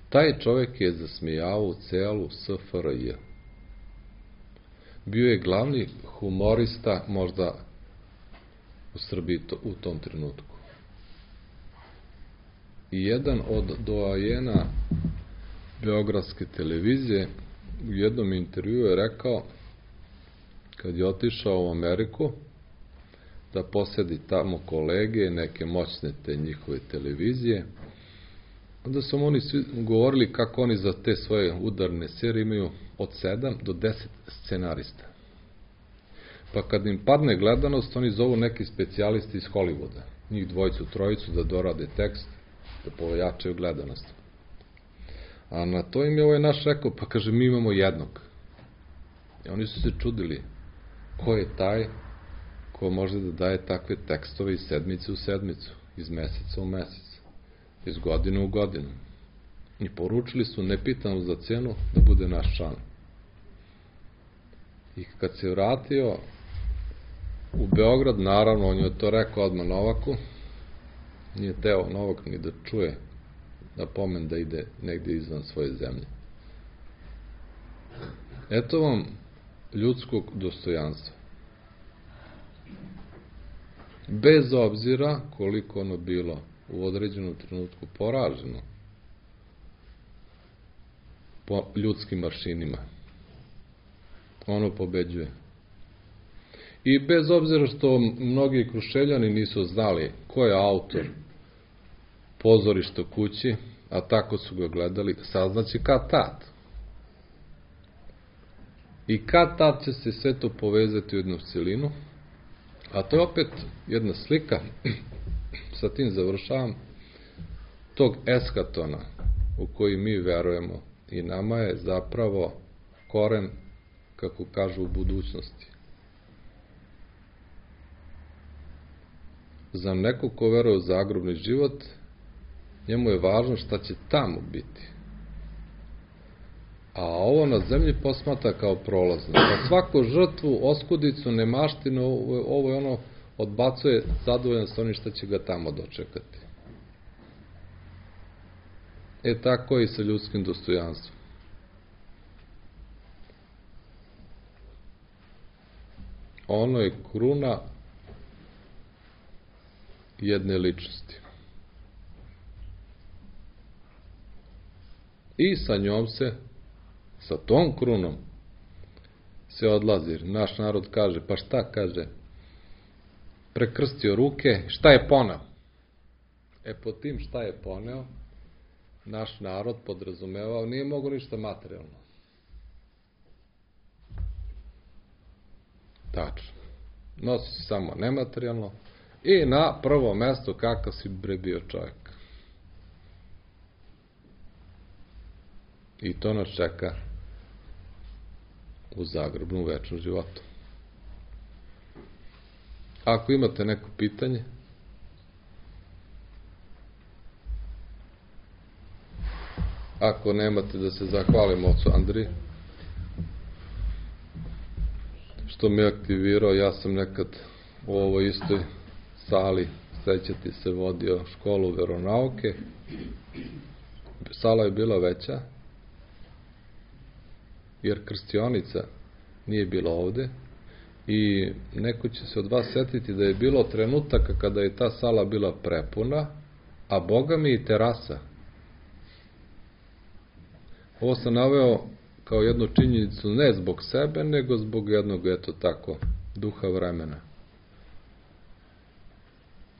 Taj čovjek je zasmijavao celu S F R J. Bio je glavni humorista možda u Srbiji u tom trenutku. I jedan od doajena beogradske televizije u jednom intervjuu je rekao, kad je otišao u Ameriku, da posedi tamo kolege, neke moćne te njihove televizije, onda su oni svi govorili kako oni za te svoje udarne serije imaju od sedam do deset scenarista. Pa kad im padne gledanost, oni zovu neki specijalisti iz Hollywooda, njih dvojicu, trojicu, da dorade tekst, da pojačaju gledanost. A na to im je ovaj naš rekao, pa kaže, mi imamo jednog. I oni su se čudili, ko je taj ko može da daje takve tekstove iz sedmice u sedmicu, iz meseca u mesec, iz godine u godinu. I poručili su, ne pitamo za cenu, da bude naš član. I kad se vratio u Beograd, naravno, on je to rekao odmah Novaku, nije teo Novak ni da čuje da pomen da ide negdje izvan svoje zemlje. Eto vam ljudskog dostojanstva. Bez obzira koliko ono bilo u određenom trenutku poraženo po ljudskim mašinima, ono pobeđuje. I bez obzira što mnogi Kruševljani nisu znali ko je autor Pozorišta kući, a tako su ga gledali, saznaće kad tad. I kad tad će se sve to povezati u jednu celinu, a to je opet jedna slika, sa tim završavam, tog eskatona u koji mi verujemo i nama je zapravo koren, kako kažu, u budućnosti. Za nekog ko veruje u zagrobni život, njemu je važno šta će tamo biti. A ovo na zemlji posmata kao prolazno. Za svaku žrtvu, oskudicu, nemaštinu, ovo je ono, odbacuje zadovoljan sa onim šta će ga tamo dočekati. E tako i sa ljudskim dostojanstvom. Ono je kruna jedne ličnosti. I sa njom se, sa tom krunom, se odlazi. Naš narod kaže, pa šta kaže? Prekrstio ruke, šta je poneo? E po tim šta je poneo, naš narod podrazumevao, nije mogo ništa materijalno. Tačno. Nosi se samo nematerijalno i na prvo mesto kakav si bre bio čovjek. I to nas čeka u zagrobnom večnom životu. Ako imate neko pitanje, ako nemate, da se zahvalim ocu Andriji što me aktivirao. Ja sam nekad u ovoj istoj sali, sećati se, vodio školu veronauke. Sala je bila veća, jer krstionica nije bila ovde, i neko će se od vas setiti da je bilo trenutaka kada je ta sala bila prepuna, a Boga mi i terasa. Ovo sam naveo kao jednu činjenicu ne zbog sebe, nego zbog jednog, eto tako, duha vremena.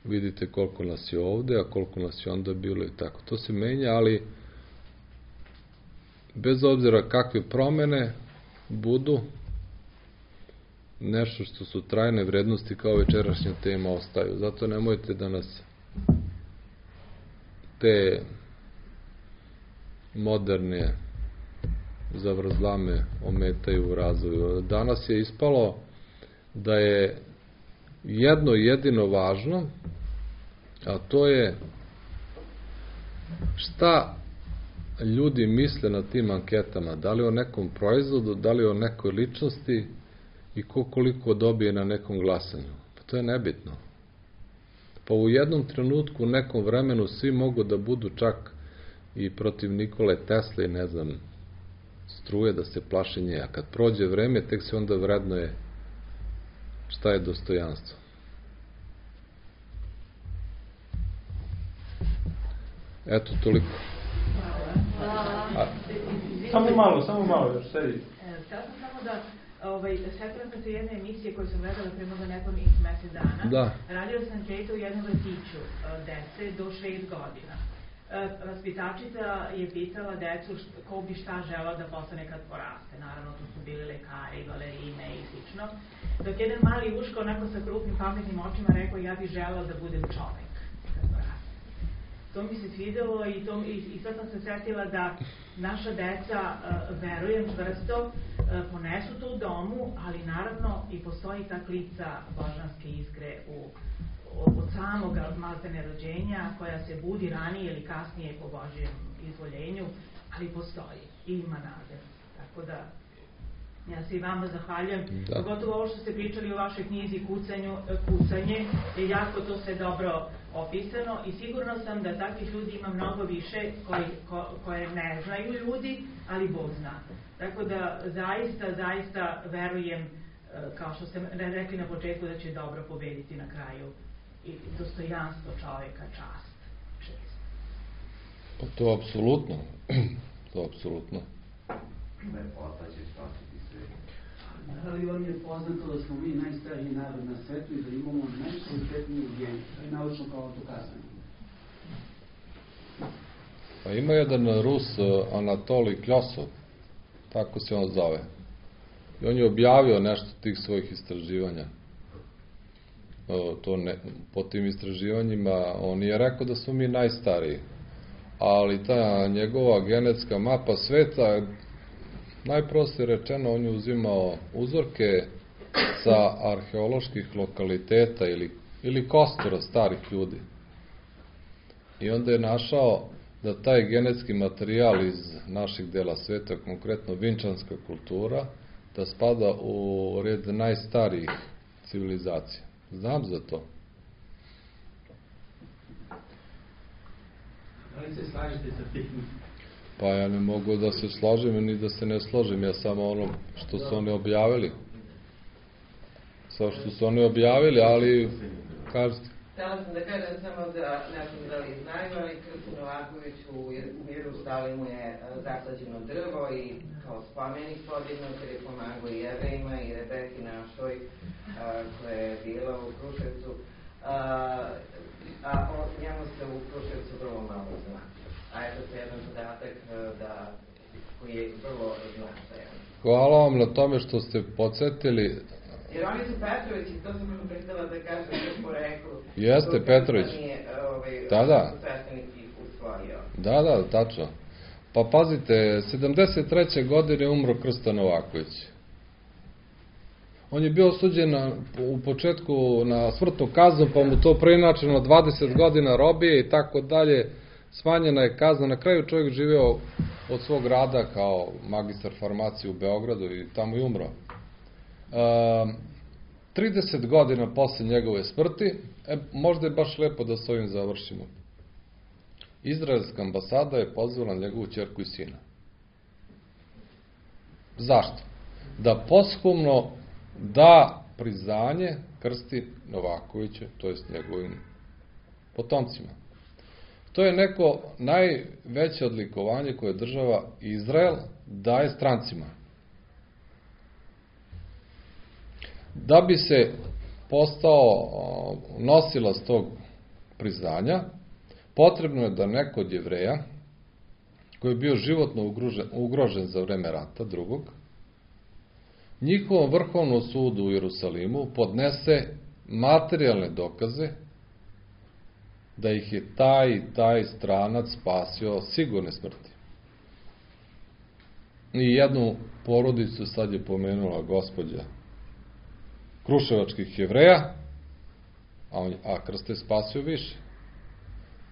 Vidite koliko nas je ovde, a koliko nas je onda bilo i tako. To se menja, ali bez obzira kakve promene budu, nešto što su trajne vrednosti kao večerašnja tema ostaju. Zato nemojte da nas te moderne zavrzlame ometaju u razvoju. Danas je ispalo da je jedno jedino važno, a to je šta ljudi misle na tim anketama, da li o nekom proizvodu, da li o nekoj ličnosti i ko koliko dobije na nekom glasanju. Pa to je nebitno. Pa u jednom trenutku, u nekom vremenu, svi mogu da budu čak i protiv Nikole Tesle i ne znam, struje, da se plaše nje. A kad prođe vreme, tek se onda vrednuje šta je dostojanstvo. Eto, toliko. A, samo malo, samo malo, još sedi. Htela sam samo da, ovaj, setila sam se jedne emisije koju sam gledala pre možda nekonih mesec dana. Da. Radio sam anketu u jednom vrtiću dece do šest godina. Vaspitačica je pitala decu ko bi šta želao da postane kad poraste. Naravno, to su bili lekari, balerine i slično. Dok jedan mali uško, onako sa krupnim pametnim očima, rekao, ja bih želao da budem čovek kad poraste. To mi se svidelo i, to, i, i sad sam se setila da naša deca, uh, verujem čvrsto, ponesu to u domu, ali naravno i postoji ta klica božanske iskre u, od samog maltene rođenja, koja se budi ranije ili kasnije po Božjem izvoljenju, ali postoji i ima nade. Tako da, ja se i vama zahvaljujem. Da. Pogotovo ovo što ste pričali o vašoj knjizi Kucanju, Kucanje, je jako to sve dobro opisano i sigurno sam da takvih ljudi ima mnogo više koji, ko, koje ne znaju ljudi, ali Bog zna. Tako da zaista, zaista verujem, kao što ste rekli na početku, da će dobro pobediti na kraju i dostojanstvo čoveka, čast, čest. Pa to apsolutno. To apsolutno. Lepota će spasiti sve. Ali vam je poznato da smo mi najstariji narod na svetu i da imamo najkvalitetniju genu. To je naučno kao dokazano. Pa ima jedan Rus, Anatolij Kljosov, tako se on zove. I on je objavio nešto tih svojih istraživanja. To ne, po tim istraživanjima on je rekao da smo mi najstariji. Ali ta njegova genetska mapa sveta, najprostije rečeno, on je uzimao uzorke sa arheoloških lokaliteta ili, ili kostura starih ljudi. I onda je našao da taj genetski materijal iz naših dela sveta, konkretno vinčanska kultura, da spada u red najstarijih civilizacija. Znam za to. Da li se slažete sa tim? Pa ja ne mogu da se složim ni da se ne složim, ja samo ono što su oni objavili. Sa što su oni objavili, ali kažete. Htjela sam da kažem samo da, ne znam da li znaju, ali Krstin Novaković u, u Jerusalimu je zasađeno drvo i kao spomenik podignut jer je pomagao i Jevrejima i Rebeki našoj koja je bila u Kruševcu. A, a o njemu se u Kruševcu vrlo malo zna. A eto se jedan podatak da, koji je vrlo značajan. Hvala vam na tome što ste podsjetili. Jer oni su Petrovići, to sam vam prestala da kažem još po reklu. Jeste, Petrović. Ovaj, da, da. Da, da, tačno. Pa pazite, sedamdeset treće godine umro Krsto Novaković. On je bio osuđen na, u početku na smrtnu kaznu, pa mu to preinačeno dvadeset godina robije i tako dalje. Smanjena je kazna. Na kraju čovjek živeo od svog rada kao magistar farmacije u Beogradu i tamo i umro. E, trideset godina posle njegove smrti, e, možda je baš lepo da s ovim završimo. Izraelska ambasada je pozvala njegovu ćerku i sina. Zašto? Da posthumno da priznanje Krsti Novakoviću, to jest njegovim potomcima. To je neko najveće odlikovanje koje država Izrael daje strancima. Da bi se postao nosilac tog priznanja, potrebno je da neko od Jevreja, koji je bio životno ugrožen, ugrožen za vreme rata drugog, njihovom vrhovnom sudu u Jerusalimu podnese materijalne dokaze da ih je taj i taj stranac spasio sigurne smrti. I jednu porodicu sad je pomenula gospođa kruševačkih Jevreja, a, on, a Krsto je spasio više.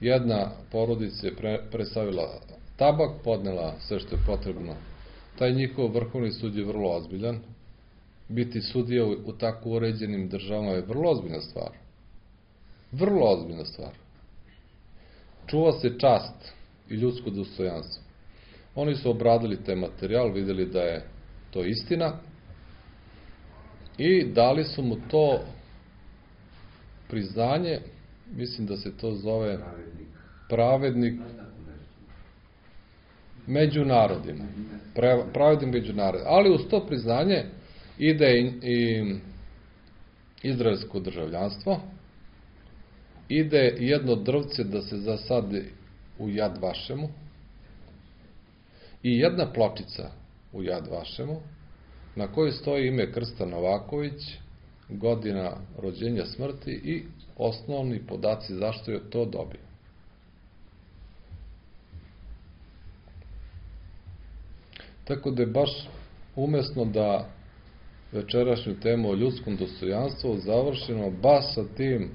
Jedna porodica je pre, presavila tabak, podnela sve što je potrebno. Taj njihov vrhovni sud je vrlo ozbiljan. Biti sudija u, u tako uređenim državama je vrlo ozbiljna stvar. Vrlo ozbiljna stvar. Čuva se čast i ljudsko dostojanstvo. Oni su obradili taj materijal, vidjeli da je to istina i dali su mu to priznanje, mislim da se to zove pravednik među narodima. Pravednik među narodima. Ali uz to priznanje ide i, i izraelsko državljanstvo, ide jedno drvce da se zasadi u Jad Vašemu i jedna pločica u Jad Vašemu na kojoj stoji ime Krsta Novaković, godina rođenja, smrti i osnovni podaci zašto je to dobio. Tako da je baš umesno da večerašnju temu o ljudskom dostojanstvu završimo baš sa tim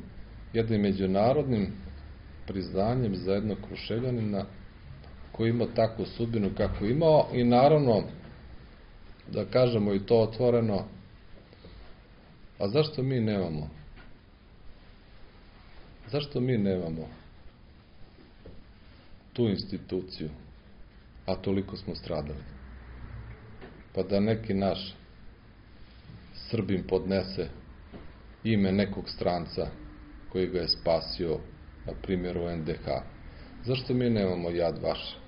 jednim međunarodnim priznanjem za jednog Kruševljanina koji ima takvu sudbinu kako imao i naravno da kažemo i to otvoreno, a zašto mi nemamo? Zašto mi nemamo tu instituciju, a toliko smo stradali? Pa da neki naš Srbin podnese ime nekog stranca koji ga je spasio, na primjer u en de ha. Zašto mi nemamo Yad Vashem?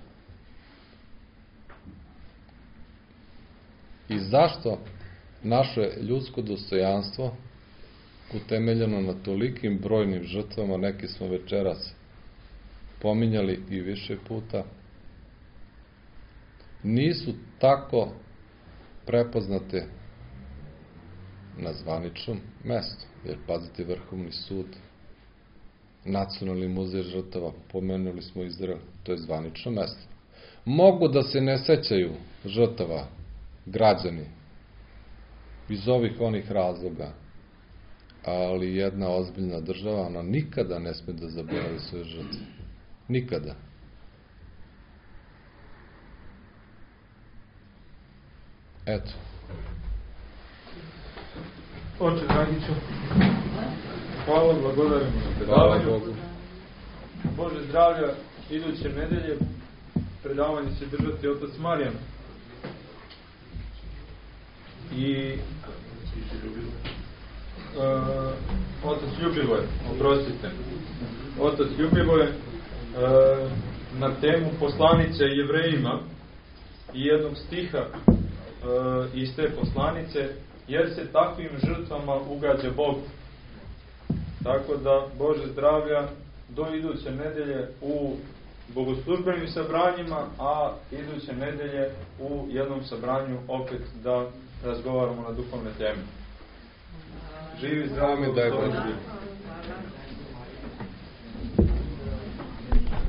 I zašto naše ljudsko dostojanstvo, utemeljeno na tolikim brojnim žrtvama, neki smo večeras pominjali i više puta, nisu tako prepoznate na zvaničnom mestu? Jer, pazite, Vrhovni sud, Nacionalni muzej žrtava, pomenuli smo Izrael, to je zvanično mesto. Mogu da se ne sećaju žrtava građani iz ovih onih razloga, ali jedna ozbiljna država, ona nikada ne sme da zaboravi svoje žrtve. Nikada. Eto. Oče Dragiću, hvala, blagodarimo na predavanju. Hvala Bogu. Bože zdravlja, iduće nedelje predavanje će držati otac Marijan. I uh, otac Ljubivoje, oprostite. Otac Ljubivoje uh, na temu poslanice Jevrejima i jednog stiha uh, iz te poslanice, jer se takvim žrtvama ugađa Bog. Tako da, Bože zdravlja, do iduće nedelje u bogoslužbenim sabranjima, a iduće nedelje u jednom sabranju opet da razgovaramo na duhovne teme. Živi, zdravi, da je